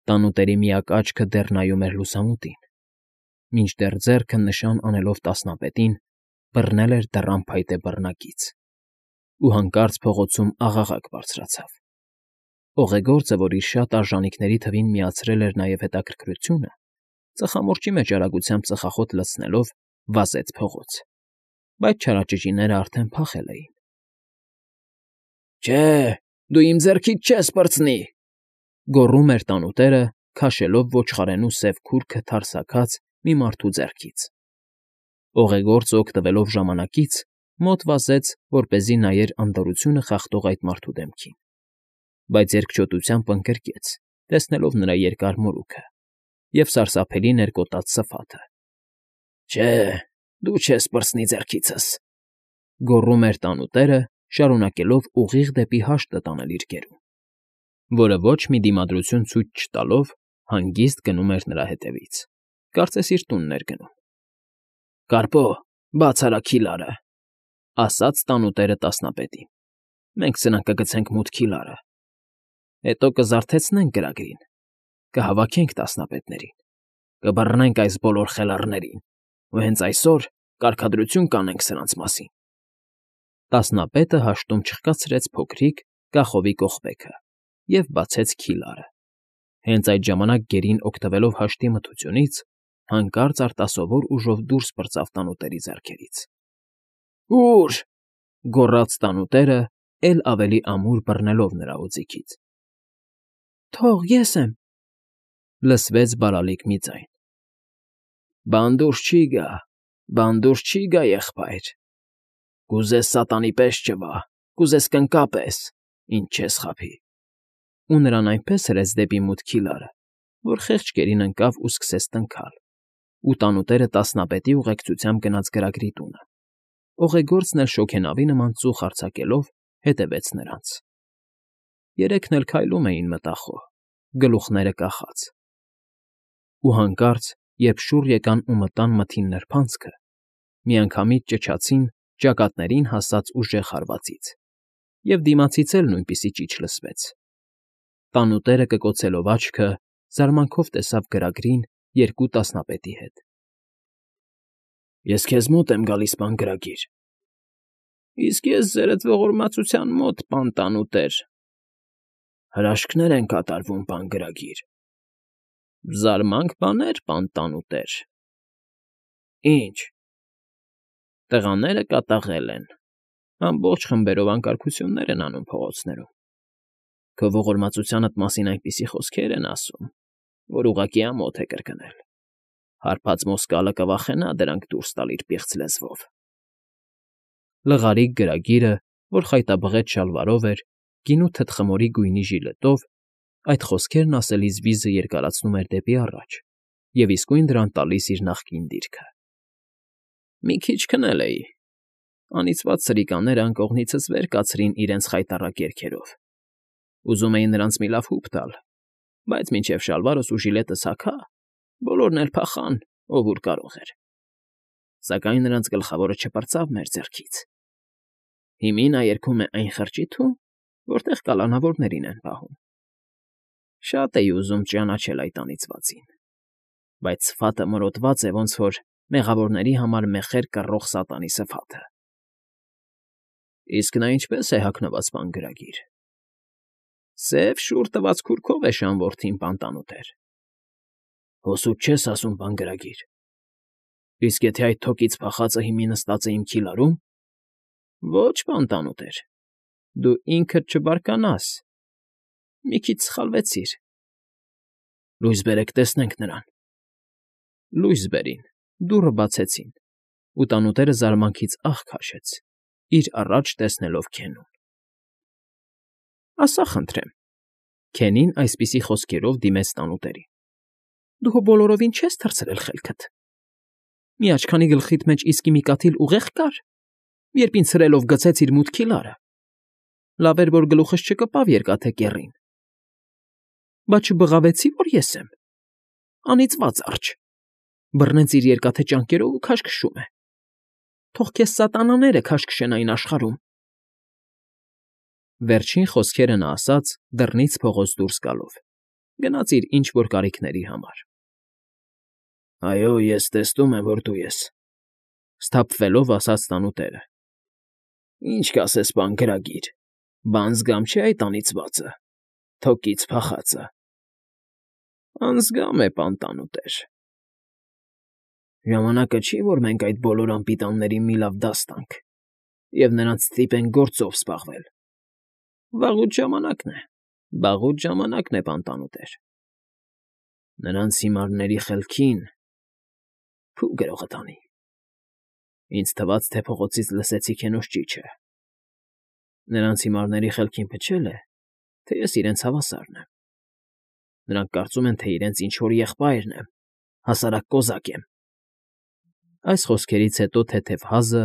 Տանուտերի միակ աչքը դեռ նայում էր լուսամուտին, մինչդեռ ձեռքը նշան անելով տասնապետին բռնել էր դռան փայտե բռնակից, ու հանկարծ փողոցում աղաղակ բարձրացավ։ Օղեգործը, որ իր շատ արժանիքների թվին միացրել էր նաև հետաքրքրությունը, ծխամորճի մեջ արագությամբ ծխախոտ լցնելով վազեց փողոց, բայց չարաճճիները արդեն փախել էին։ Չէ, դու իմ ձեռքից չես պրծնի,֊ գոռում էր տանուտերը, քաշելով ոչխարենու սև քուրքը թարսաքած մի մարդու ձեռքից։ Օղեգործը, օգտվելով ժամանակից, մոտ վազեց, որպեսզի նայեր անդորրությունը խախտող այդ մարդու դեմքին, բայց երկչոտությամբ ընկրկեց, տեսնելով նրա երկար մորուքը և սարսափելի ներկոտած սփաթը։ Չէ, դու չես պրծնի ձեռքիցս,֊ գոռում էր տանուտերը, շարունակելով ուղիղ դեպի հաշտը տանել իր գերուն, որը ոչ մի դիմադրություն ցույց չտալով հանգիստ գնում էր նրա հետևից, կարծես իր տունն էր գնում։ Կարպո, բաց արա քիլարը,֊ ասաց տանուտերը տասնապետին։ Մենք սրանք կգցենք մութ քիլարը, հետո կզարթեցնենք գրագրին, կհավաքենք տասնապետներին, կբռնենք այս բոլոր խելառներին ու հենց այսօր կարգադրություն կանենք սրանց մասին։ Տասնապետը հաշտում չխկացրեց փոքրիկ կախովի կողպեքը և բացեց քիլարը։ Հենց այդ ժամանակ գերին, օգտվելով հաշտի մթությունից, հանկարծ արտասովոր ուժով դուրս պրծավ տանուտերի ձեռքերից։ Ո՞ւր,֊ գոռաց տանուտերը, էլ ավելի ամուր բռնելով նրա օձիքից։ Թող, ես եմ,֊ լսվեց բարալիկ մի ձայն։ Բան դուրս չի գա, բան դուրս չի գա, եղբայր, կուզես սատանի պես ճվա, կուզես կնկա պես, ինչ չես խաբի։ Ու նրան այնպես հրեց դեպի մութ քիլարը, որ խեղճ գերին ընկավ ու սկսեց տնքալ, ու տանուտերը տասնապետի ուղեկցությամբ գնաց գրագրի տունը։ Օղեգործն էլ շոգենավի նման ծուխ արձակելով հետևեց նրանց։ Երեքն էլ քայլում էին մտախոհ, գլուխները կախած։ Ու հանկարծ, երբ շուռ եկան ու մտան մթին նրբանցքը, միանգամից ճչացին ճակատներին հասած ուժեղ հարվածից, և դիմացից էլ նույնպիսի ճիչ լսվեց։ Տանուտերը կկոցելով աչքը, զարմանքով տեսավ գրագրին երկու տասնապետի հետ։ Ես քեզ մոտ եմ գալիս, պան գրագիր։ Իսկ ես ձերդ ողորմածության մոտ, պան տանուտեր։ Հրաշքներ են կատարվում, պան գրագիր։ Զարմանք բաներ, պան տանուտեր։ Ինչ։ Տղաները կատաղել են, ամբողջ խմբերով անկարգություններ են անում փողոցներում։ Քո ողորմածությանդ մասին այնպիսի խոսքեր են ասում, որ ուղղակի ամոթ է կրկնել։ Հարբած մոսկալը կվախենա դրանք դուրս տալ իր պիղծ լեզվով։ Լղարիկ գրագիրը, որ խայտաբղետ շալվարով էր, գինու թտխմորի գույնի ժիլետով, այդ խոսքերն ասելիս վիզը երկարացնում էր դեպի առաջ և իսկույն դրան տալիս իր նախկին դիրքը։ Մի քիչ քնել էի։ Անիծված սրիկաները անկողնիցս վեր կացրին իրենց խայտառակ երգերով։ Ուզում էի նրանց մի լավ հուպ տալ, բայց մինչև շալվարս ու ժիլետս հագա, բոլորն էլ փախան, ով ուր կարող էր։ Սակայն նրանց գլխավորը չպրծավ մեր ձեռքից։ Հիմի նա երգում է այն խրճիթում, որտեղ կալանավորներին են պահում։ Շատ էի ուզում ճանաչել այդ անիծվածին, բայց սվաթը մորոտված է, ոնց որ մեղավորների համար մեխեր կռող սատանի սվաթը։ Իսկ նա ինչպե՞ս է հագնված, պան գրագիր։ Սև շուռ տված քուրքով է շան որդին, պան տանուտեր։ Հոսուտ չես ասում, պան գրագիր։ Իսկ եթե այդ թոկից փախածը հիմի նստած է իմ քիլարում։ Ոչ, պան տանուտեր, դու ինքդ չբարկանաս։ Մի քիչ սխալվեցիր։ Լույս բերեք, տեսնենք նրան։ Լույս բերին, դուռը բացեցին, ու տանուտերը զարմանքից ահ քաշեց, իր առաջ տեսնելով Քենուն։ Ասա խնդրեմ,֊ Քենին այսպիսի խոսքերով դիմեց տանուտերին,֊ դու հո բոլորովին չես թռցրել խելքդ։ Մի աչքանի գլխիդ մեջ իսկի մի կաթիլ ուղեղ կար, երբ ինձ հրելով գցեցիր մութ քիլարը։ Լավ էր, որ գլուխս չկպավ երկաթե կեռին։ Բա չբղավեցի, որ ես եմ։ Անիծված արջ, բռնեց իր երկաթե ճանկերով ու քաշքշում է։ Թող քեզ սատանաները քաշքշեն այն աշխարհում։ Վերջին խոսքերը նա ասաց դռնից փողոց դուրս գալով, գնաց իր ինչ֊որ կարիքների համար։ ֊ Այո, ես տեսնում եմ, որ դու ես,֊ սթափվելով ասաց տանուտերը։ ֊ Ինչ կասես, պան գրագիր, բան զգամ չէ այդ անիծվածը, թոկից փախածը։ ֊ Անզգամ է, պան տանուտեր։ ֊ Ժամանակը չի, որ մենք այդ բոլոր անպիտաններին մի լավ դաս տանք և նրանց ստիպենք գործով զբաղվել։ Վաղուց ժամանակն է, պան տանուտեր։ Նրանց հիմարների խելքին… Փու գրողը տանի… Ինձ թվաց, թե փողոցից լսեցի քենոջ ճիչը։ Նրանց հիմարների խելքին փչել է, թե ես իրենց հավասարն եմ։ Նրանք կարծում են, թե իրենց ինչ֊որ եղբայրն եմ, հասարակ կոզակ եմ։ Այս խոսքերից հետո թեթև հազը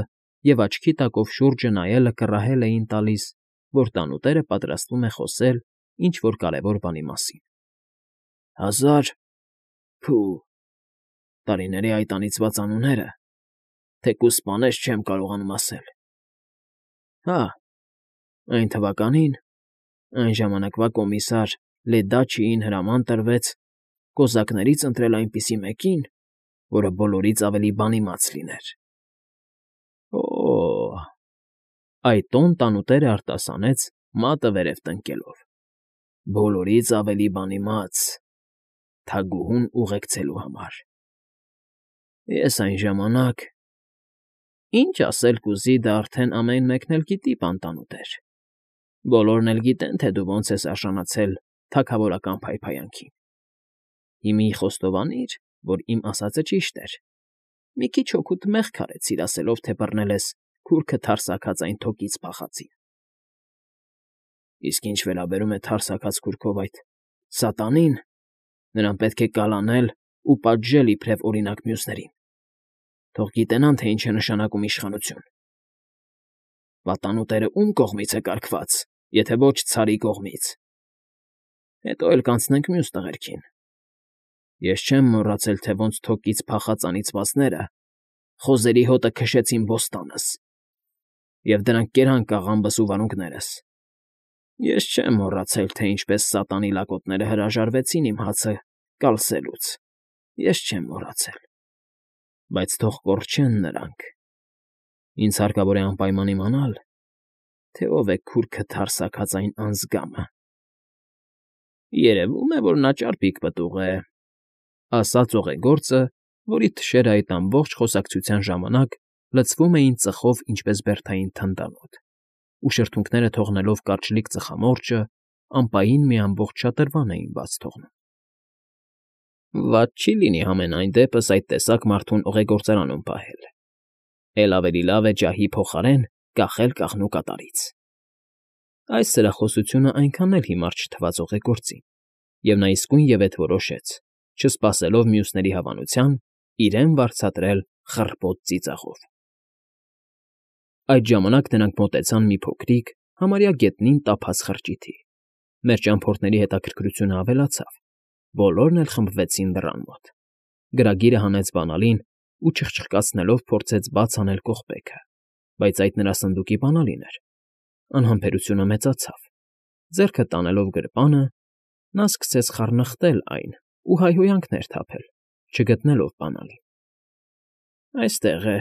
և աչքի տակով շուրջը նայելը կռահել էին տալիս, որ տանուտերը պատրաստվում է խոսել ինչ֊որ կարևոր բանի մասին։ 1000… Փու… Տարիների այդ անիծված անունները… Թեկուզ սպանես չեմ կարողանում ասել… Հա… Այն թվականին, այն ժամանակվա կոմիսար Լեդաչիին հրաման տրվեց կոզակներից ընտրել այնպիսի մեկին, որը բոլորից ավելի բանիմաց լիներ։ Օ՜… Այդ տոն տանուտերը արտասանեց, մատը վերև տնկելով։ Բոլորից ավելի բանիմաց… Թագուհուն ուղեկցելու համար… Ես այն ժամանակ… Ինչ ասել կուզի, դա արդեն ամեն մեկն էլ գիտի, պան տանուտեր… Բոլորն էլ գիտեն, թե դու ոնց ես արժանացել թագավորական փայփայանքին… Հիմի խոստովանիր, որ իմ ասածը ճիշտ էր… Մի քիչ հոգուդ մեղք արեցիր, ասելով, թե բռնել ես քուրքը թարսաքած այն թոկից փախածին… Իսկ ինչ վերաբերում է թարսաքած քուրքով այդ սատանին, նրան պետք է կալանել ու պատժել իբրև օրինակ մյուսներին… Թող գիտենան, թե ինչ է նշանակում իշխանություն… Պատանուտերը ում կողմից է կարգված, եթե ոչ ցարի կողմից… Հետո էլ կանցնենք մյուս տղերքին… Ես չեմ մոռացել, թե ոնց թոկից փախած անիծվածները խոզերի հոտը քշեցին բոստանս, և դրանք կերան կաղամբս ու վարունգներս… Ես չեմ մոռացել, թե ինչպես սատանի լակոտները հրաժարվեցին իմ հացը կալսելուց… Ես չեմ մոռացել… Բայց թող կորչեն նրանք… Ինձ հարկավոր է անպայման իմանալ, թե ով է քուրքը թարսաքած այն անձգամը… Երևում է, որ նա ճարպիկ պտուղ է,֊ ասաց օղեգործը, որի թշերն այդ ամբողջ խոսակցության ժամանակ լցվում էին ծխով ինչպես բերդային թնդանոթ, ու շրթունքները թողնելով կարճլիկ ծխամորճը, ամպային մի ամբողջ շատրվան էին բաց թողնում։ Վատ չի լինի համենայն դեպս այդ տեսակ մարդուն օղեգործարանում պահել… Էլ ավելի լավ է ջահի փոխարեն կախել կաղնու կատարից… Այս սրախոսությունն այնքան էլ հիմար չթվաց օղեգործին, և նա իսկույնևեթ որոշեց, չսպասելով մյուսների հավանության, իրեն վարձատրել խռպոտ ծիծաղով։ Այդ ժամանակ նրանք մոտեցան մի փոքրիկ, համարյա գետնին տափած խրճիթի։ Մեր ճամփորդների հետաքրքրությունը ավելացավ, բոլորն էլ խմբվեցին դռան մոտ։ Գրագիրը հանեց բանալին ու չխչխկացնելով փորձեց բաց անել կողպեքը, բայց այդ նրա սնդուկի բանալին էր։ Անհամբերությունը մեծացավ։ Ձեռքը տանելով գրպանը, նա սկսեց խառնխտել այն ու հայհոյանքներ թափել, չգտնելով բանալին։ Այստեղ է,֊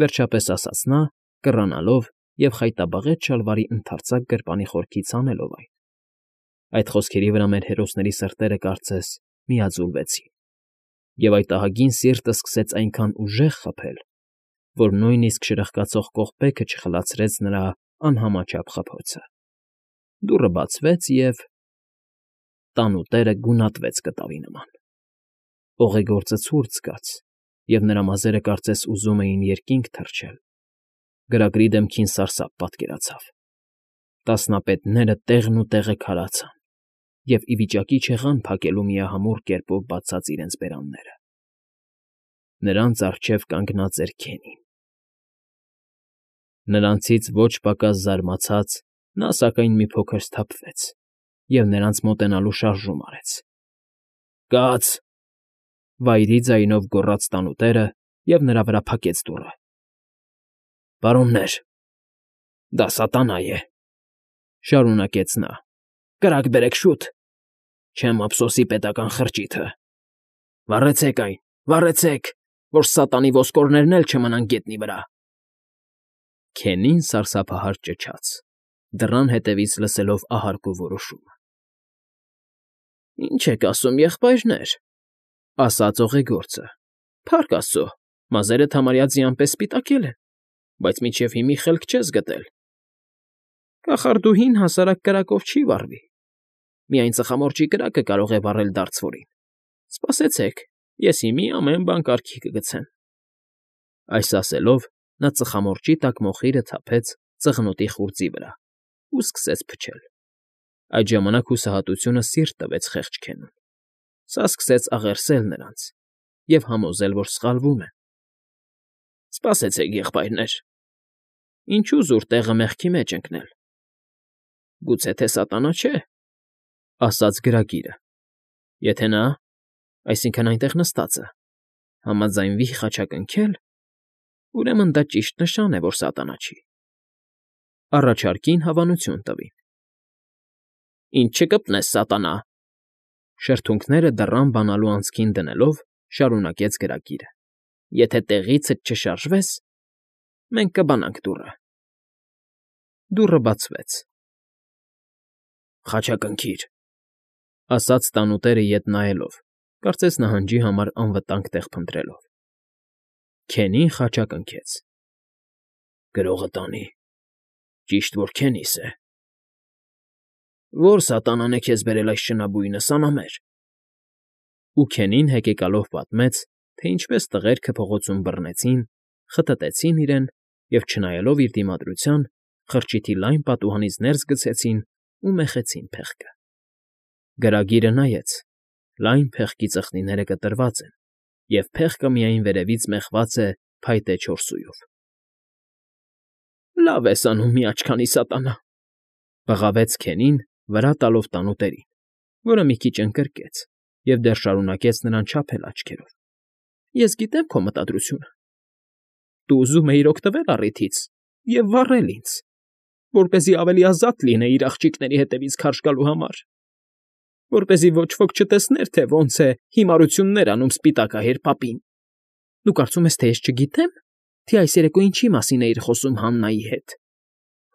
վերջապես ասաց նա, կռանալով և խայտաբղետ շալվարի ընդարձակ գրպանի խորքից հանելով այն։ Այդ խոսքերի վրա մեր հերոսների սրտերը, կարծես, միաձուլվեցին, և այդ ահագին սիրտը սկսեց այնքան ուժեղ խփել, որ նույնիսկ շրխկացող կողպեքը չխլացրեց նրա անհամաչափ խփոցը։ Դուռը բացվեց, և… Տանուտերը գունատվեց կտավի նման։ Օղեգործը ցուրտ զգաց, և նրա մազերը կարծես ուզում էին երկինք թռչել։ Գրագրի դեմքին սարսափ պատկերացավ։ Տասնապետները տեղնուտեղը քարացան և ի վիճակի չեղան փակելու միահամուռ կերպով բացած իրենց բերանները։ Նրանց առջև կանգնած էր Քենին։ Նրանցից ոչ պակաս զարմացած՝ նա սակայն մի փոքր սթափվեց և նրանց մոտենալու շարժում արեց։ «Կաց,֊ վայրի ձայնով գոռաց տանուտերը և նրա վրա փակեց դուռը։ Պարոններ, դա սատանա է,֊ շարունակեց նա,֊ կրակ բերեք, շուտ… Չեմ ափսոսի պետական խրճիթը։ Վառեցեք այն, վառեցեք, որ սատանի ոսկորներն էլ չմնան գետնի վրա։ Քենին սարսափահար ճչաց, դռան հետևից լսելով ահարկու որոշումը։ Ինչ եք ասում, եղբայրներ, ասաց օղեգործը։ Փառք Աստծո, մազերդ համարյա ձիանպես սպիտակել են, բայց մինչև հիմի խելք չես գտել։ Կախարդուհին հասարակ կրակով չի վառվի։ Միայն ծխամորճի կրակը կարող է վառել դարձվորին։ Սպասեցեք, ես հիմի ամեն բան կարգի կգցեմ։ Այս ասելով նա ծխամորճի տակ մոխիրը թափեց ծղնոտի խուրձի վրա ու սկսեց փչել։ Այդ ժամանակ հուսահատությունը սիրտ տվեց խեղճ Քենուն։ Սա սկսեց աղերսել նրանց և համոզել, որ սխալվում են։ Սպասեցեք, եղբայրներ, ինչու զուր տեղը մեղքի մեջ ընկնել։ Գուցե թե սատանա չէ, ասաց գրագիրը։ Եթե նա, այսինքն այնտեղ նստածը, համաձայնվի խաչակնքել, ուրեմն դա ճիշտ նշան է, որ սատանա չի։ Առաջարկին հավանություն տվին։ Ինչ չկպնես, սատանա, շրթունքները դռան բանալու անցքին դնելով շարունակեց գրագիրը։ Եթե տեղիցդ չշարժվես, մենք կբանանք դուռը։ Դուռը բացվեց։ Խաչակնքիր, ասաց տանուտերը ետ նայելով, կարծես նահանջի համար անվտանգ տեղ փնտրելով։ Քենին խաչակնքեց։ Գրողը տանի, ճիշտ որ Քենիս է։ Որ սատանան է քեզ բերել այս շնաբույնը, սանամեր։ Ու Քենին հեկեկալով պատմեց, թե ինչպես տղերքը փողոցում բռնեցին, խտտեցին իրեն և, չնայելով իր դիմադրության, խրճիթի լայն պատուհանից ներս գցեցին ու մեխեցին փեղկը։ Գրագիրը նայեց, լայն փեղկի ծխնիները կտրված են, և փեղկը միայն վերևից մեխված է փայտե չորսույով։ Լավ ես անում, մի աչքանի սատանա, բղավեց Քենին, վրա տալով տանուտերին, որը մի քիչ ընկրկեց և դեռ շարունակեց նրան չափել աչքերով։ Ես գիտեմ քո մտադրությունը։ Դու ուզում էիր օգտվել առիթից և վառել ինձ, որպեսզի ավելի ազատ լինեիր աղջիկների հետևից քարշ գալու համար, որպեսզի ոչ ոք չտեսներ, թե ոնց է հիմարություններ անում սպիտակահեր պապին։ Դու կարծում ես, թե ես չգիտեմ, թե այս երեկո ինչի մասին էիր խոսում Հաննայի հետ։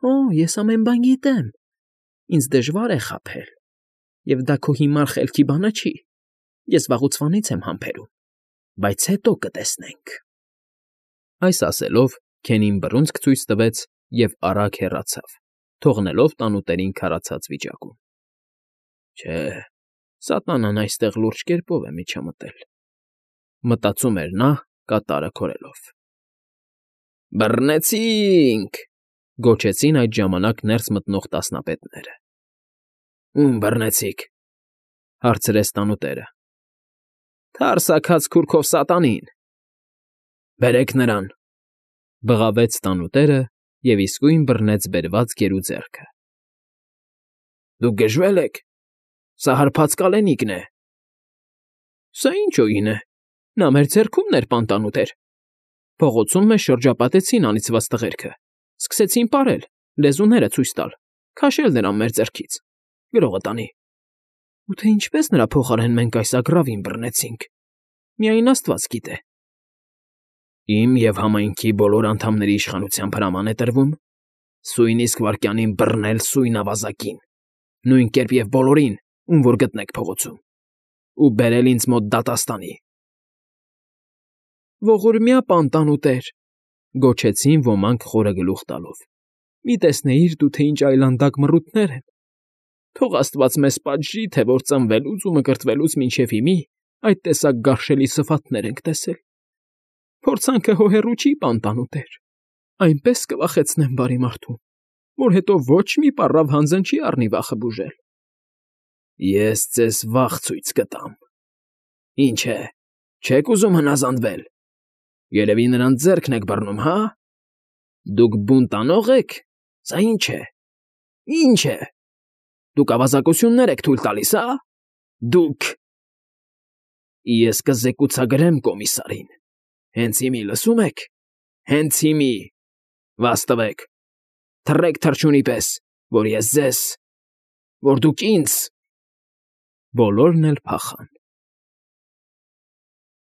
Օ, ես ամեն բան գիտեմ։ Ինձ դժվար է խաբել, և դա քո հիմար խելքի բանը չի։ Ես վաղուցվանից եմ համբերում, բայց հետո կտեսնենք։ Այս ասելով Քենին բռունցք ցույց տվեց և արագ հեռացավ, թողնելով տանուտերին քարացած վիճակում։ Չէ, սատանան այստեղ լուրջ կերպով է միջամտել, մտածում էր նա կատարը քորելով։ Բռնեցինք, գոչեցին այդ ժամանակ ներս մտնող տասնապետները։ Ում բռնեցիք, հարցրեց տանուտերը։ Թարսաքած քուրքով սատանին։ Բերեք նրան, բղավեց տանուտերը և իսկույն բռնեց բերված գերու ձեռքը։ Դուք գժվել եք, սա հարբած կալենիկն է։ Սա ինչ օին է, նա մեր ձեռքումն էր, պանտանուտեր։ Փողոցում մեզ շրջապատեցին անիծված տղերքը, սկսեցին պարել, լեզուները ցույց տալ, քաշել նրան մեր ձեռքից, գրողը տանի։ Ու թե ինչպես նրա փոխարեն մենք այս ագռավին բռնեցինք, միայն Աստված գիտե։ Իմ և համայնքի բոլոր անդամների իշխանությամբ հրաման է տրվում սույն իսկ վայրկյանին բռնել սույն ավազակին, նույն կերպ և բոլորին, ում որ գտնեք փողոցում, ու բերել ինձ մոտ դատաստանի։ Ողորմյա պանտանուտեր, գոչեցին ոմանք խորը գլուխ տալով։ Մի տեսնեիր դու, թե ինչ այլանդակ մռութներ են։ Թող Աստված մեզ պատժի, թե որ ծնվելուց ու մկրտվելուց մինչև հիմի այդ տեսակ գարշելի սվաթներ ենք տեսել։ Փորձանքը հո հեռու չի, պանտանուտեր։ Այնպես կվախեցնեմ բարի մարդուն, որ հետո ոչ մի պառավ հանձն չի առնի վախը բուժել։ Ես ձեզ վախ ցույց կտամ։ Ինչ է, չեք ուզում հնազանդվել։ Երևի նրանց ձեռքն եք բռնում, հա։ Դուք բունտանո՞ղ եք։ Սա ինչ է։ Ինչ է։ Դուք ավազակություններ եք թույլ տալիս, հա։ Դուք… Ես կզեկուցագրեմ կոմիսարին։ Հենց հիմի, լսում եք։ Հենց հիմի… Վաստվեք, թռեք թռչունի պես, որ ես ձեզ… որ դուք ինձ… Բոլորն էլ փախան։